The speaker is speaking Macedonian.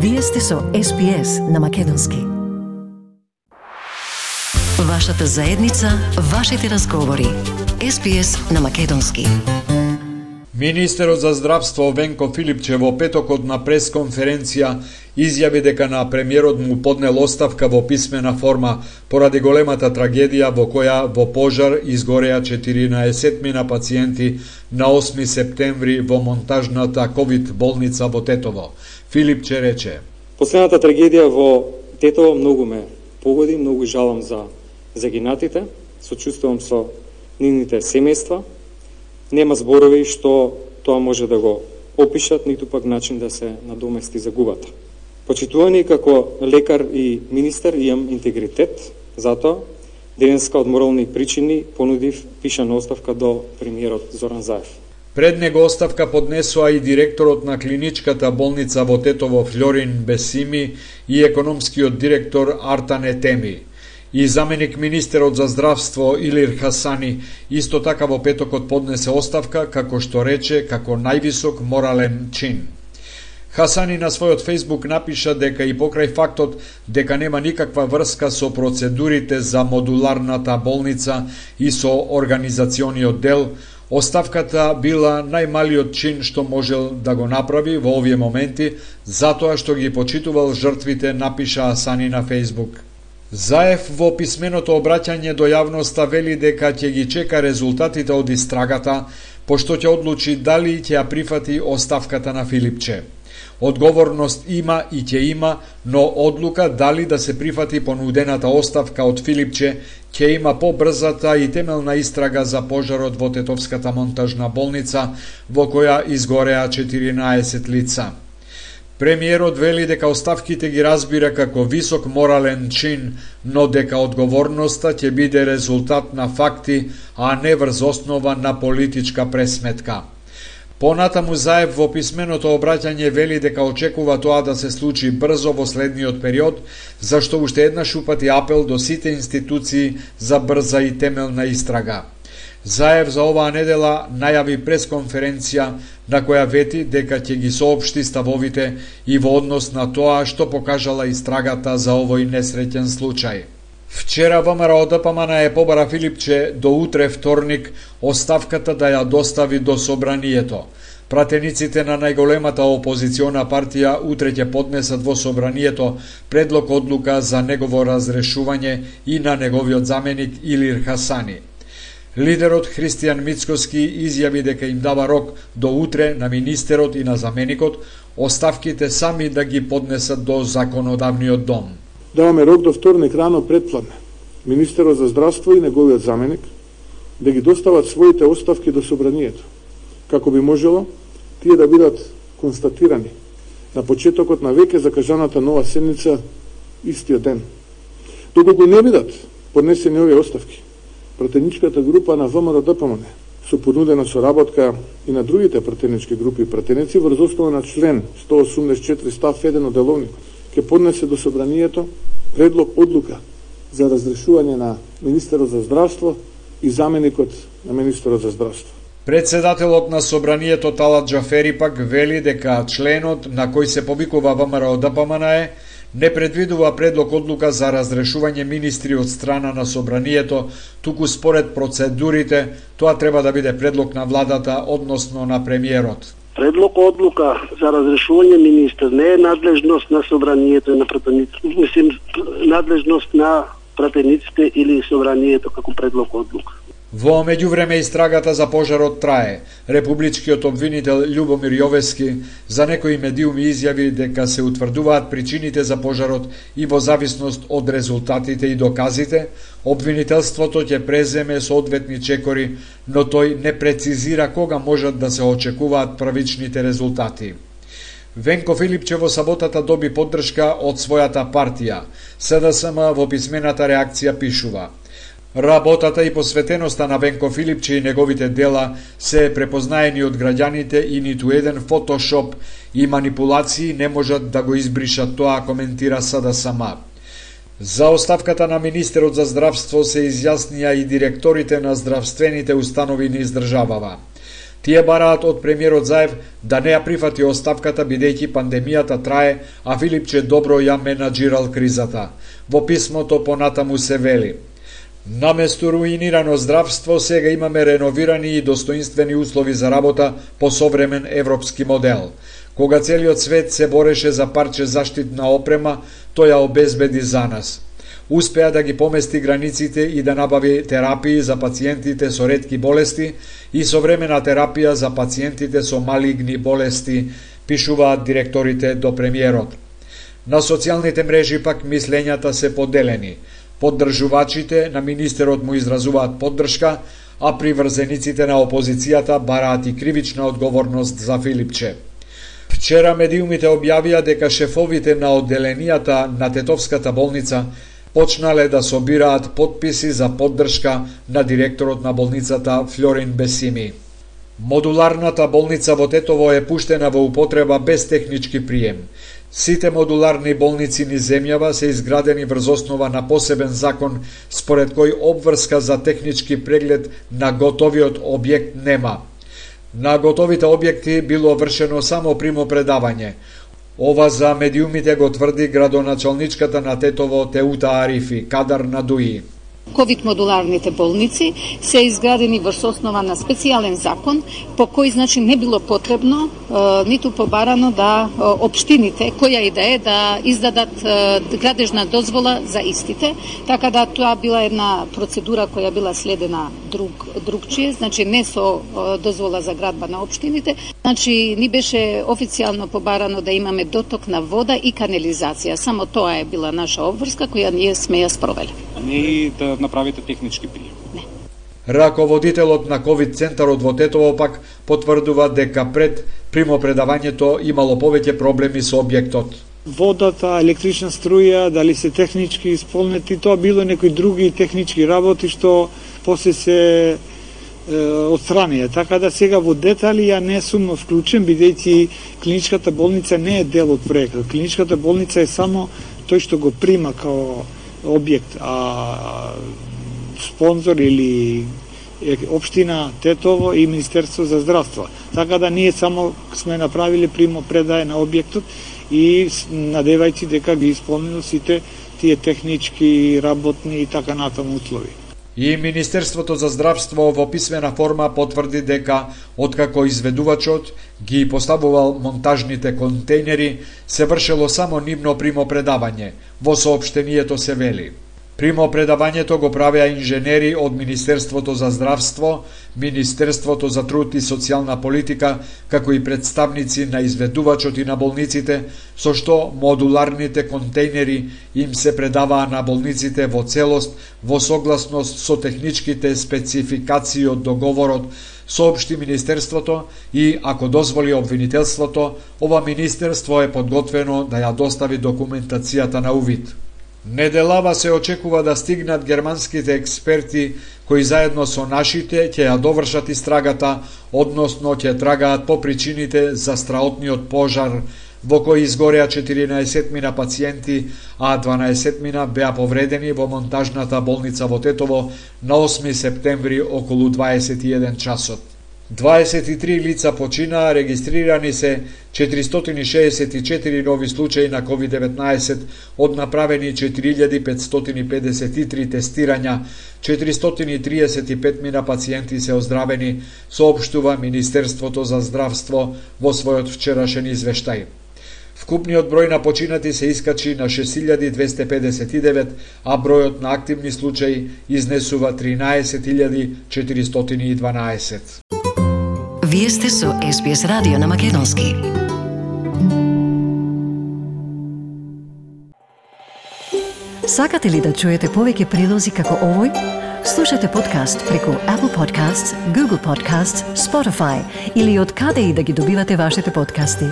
Вие сте со SPS на Македонски. Вашата заедница, вашите разговори. SPS на Македонски. Министерот за здравство Венко Филипче во петокот на пресконференција изјави дека на премиерот му поднел оставка во писмена форма поради големата трагедија во која во пожар изгореа 14 пациенти на 8 септември во монтажната ковид болница во Тетово. Филипче рече: Последната трагедија во Тетово многу ме погоди, многу жалам за загинатите, сочувствувам со нивните семејства. Нема зборови што тоа може да го опишат, ниту пак начин да се надомести загубата. Почитувани како лекар и министер имам интегритет, затоа денеска од морални причини понудив пишана оставка до премиерот Зоран Заев. Пред него оставка поднесоа и директорот на клиничката болница во Тетово Флорин Бесими и економскиот директор Артан Етеми. И заменик министерот за здравство Илир Хасани исто така во петокот поднесе оставка, како што рече, како највисок морален чин. Хасани на својот фејсбук напиша дека и покрај фактот дека нема никаква врска со процедурите за модуларната болница и со организациониот дел, оставката била најмалиот чин што можел да го направи во овие моменти, затоа што ги почитувал жртвите, напиша Хасани на фејсбук. Заев во писменото обраќање до јавноста вели дека ќе ги чека резултатите од истрагата, пошто ќе одлучи дали ќе ја прифати оставката на Филипче. Одговорност има и ќе има, но одлука дали да се прифати понудената оставка од Филипче ќе има побрзата и темелна истрага за пожарот во Тетовската монтажна болница, во која изгореа 14 лица. Премиерот вели дека оставките ги разбира како висок морален чин, но дека одговорноста ќе биде резултат на факти, а не врз основа на политичка пресметка. Понатаму Заев во писменото обраќање вели дека очекува тоа да се случи брзо во следниот период, зашто уште еднаш упати апел до сите институции за брза и темелна истрага. Заев за оваа недела најави пресконференција на која вети дека ќе ги соопшти ставовите и во однос на тоа што покажала истрагата за овој несреќен случај. Вчера ВМРО ДПМН побара Филипче до утре вторник оставката да ја достави до собранието. Пратениците на најголемата опозициона партија утре ќе поднесат во собранието предлог одлука за негово разрешување и на неговиот заменик Илир Хасани. Лидерот Христијан Мицкоски изјави дека им дава рок до утре на министерот и на заменикот оставките сами да ги поднесат до законодавниот дом. Даваме рок до вторник рано предпладне. Министерот за здравство и неговиот заменик да ги достават своите оставки до собранието, како би можело тие да бидат констатирани на почетокот на веќе закажаната нова седница истиот ден. Доколку не бидат поднесени овие оставки, пратеничката група на ВМРО ДПМН со понудена соработка и на другите пратенички групи и пратеници врз основа на член 184 став 1 од деловникот ќе поднесе до собранието предлог одлука за разрешување на министерот за здравство и заменикот на министерот за здравство. Председателот на собранието Талат Джафери пак вели дека членот на кој се повикува ВМРО ДПМН не предвидува предлог одлука за разрешување министри од страна на собранието, туку според процедурите тоа треба да биде предлог на владата, односно на премиерот. Предлог одлука за разрешување министер не е надлежност на собранието и на пратениците, надлежност на пратениците или собранието како предлог одлука. Во меѓувреме истрагата за пожарот трае. Републичкиот обвинител Љубомир Јовески за некои медиуми изјави дека се утврдуваат причините за пожарот и во зависност од резултатите и доказите, обвинителството ќе преземе соодветни чекори, но тој не прецизира кога можат да се очекуваат правичните резултати. Венко Филипче во саботата доби поддршка од својата партија. СДСМ во писмената реакција пишува: Работата и посветеноста на Венко Филипче и неговите дела се препознаени од граѓаните и ниту еден фотошоп и манипулации не можат да го избришат тоа, коментира СДСМ. За оставката на министерот за здравство се изјаснија и директорите на здравствените установи низ државава. Тие бараат од премиерот Заев да не ја прифати оставката бидејќи пандемијата трае, а Филипче добро ја менаџирал кризата. Во писмото понатаму се вели: наместо руинирано здравство, сега имаме реновирани и достоинствени услови за работа по современ европски модел. Кога целиот свет се бореше за парче заштитна опрема, тој ја обезбеди за нас. Успеа да ги помести границите и да набави терапии за пациентите со ретки болести и современа терапија за пациентите со малигни болести, пишуваат директорите до премиерот. На социјалните мрежи пак мислењата се поделени. Поддржувачите на министерот му изразуваат поддршка, а приврзениците на опозицијата бараат и кривична одговорност за Филипче. Вчера медиумите објавија дека шефовите на одделенијата на Тетовската болница почнале да собираат потписи за поддршка на директорот на болницата Флорин Бесими. Модуларната болница во Тетово е пуштена во употреба без технички прием. Сите модуларни болници низ земјава се изградени врз основа на посебен закон, според кој обврска за технички преглед на готовиот објект нема. На готовите објекти било вршено само примопредавање. Ова за медиумите го тврди градоначалничката на Тетово Теута Арифи, Кадар Надуи. Ковид модуларните болници се изградени врз основа на специјален закон, по кој не било потребно ниту побарано да општините, која и да е, да издадат градежна дозвола за истите, така да тоа била една процедура која била следена другчие, не со дозвола за градба на општините, ни беше официјално побарано да имаме доток на вода и канализација. Само тоа е била наша обврска која ние сме ја спровели. Не да направите технички прием. Не. Раководителот на ковид центарот во Тетово пак потврдува дека пред примопредавањето имало повеќе проблеми со објектот. Водата, електрична струја, дали се технички исполнети, тоа било некои други технички работи што после се отстранија. Така да сега во детали ја не сум вклучен, бидејќи клиничката болница не е дел од проектот. Клиничката болница е само тој што го прима као објект, а спонзор или општина Тетово и Министерство за здравство. Така да ние само сме направиле примопредај на објектот и надевајќи дека ги исполнило сите тие технички, работни и така натаму услови. И Министерството за здравство во писмена форма потврди дека откако изведувачот ги поставувал монтажните контейнери, се вршело само нивно примопредавање. Во соопштението се вели: примопредавањето го правеа инженери од Министерството за здравство, Министерството за труд и социјална политика, како и представници на изведувачот и на болниците, со што модуларните контейнери им се предаваа на болниците во целост во согласност со техничките спецификации од договорот, соопшти Министерството, и ако дозволи обвинителството, ова Министерство е подготвено да ја достави документацијата на увид. Неделава се очекува да стигнат германските експерти кои заедно со нашите ќе ја довршат истрагата, односно ќе трагаат по причините за страотниот пожар во кој изгореа 14 пациенти, а 12 беа повредени во монтажната болница во Тетово на 8 септември околу 21 часот. 23 лица починаа, регистрирани се 464 нови случаи на COVID-19, од направени 4553 тестирања, 435 пациенти се оздравени, соопштува Министерството за здравство во својот вчерашен извештај. Вкупниот број на починати се искачи на 6259, а бројот на активни случаи изнесува 13412. Вие сте со SBS радио на македонски. Сакате ли да чуете повеќе прилози како овој? Слушате подкаст преку Apple Podcasts, Google Podcasts, Spotify или од каде и да ги добивате вашите подкасти.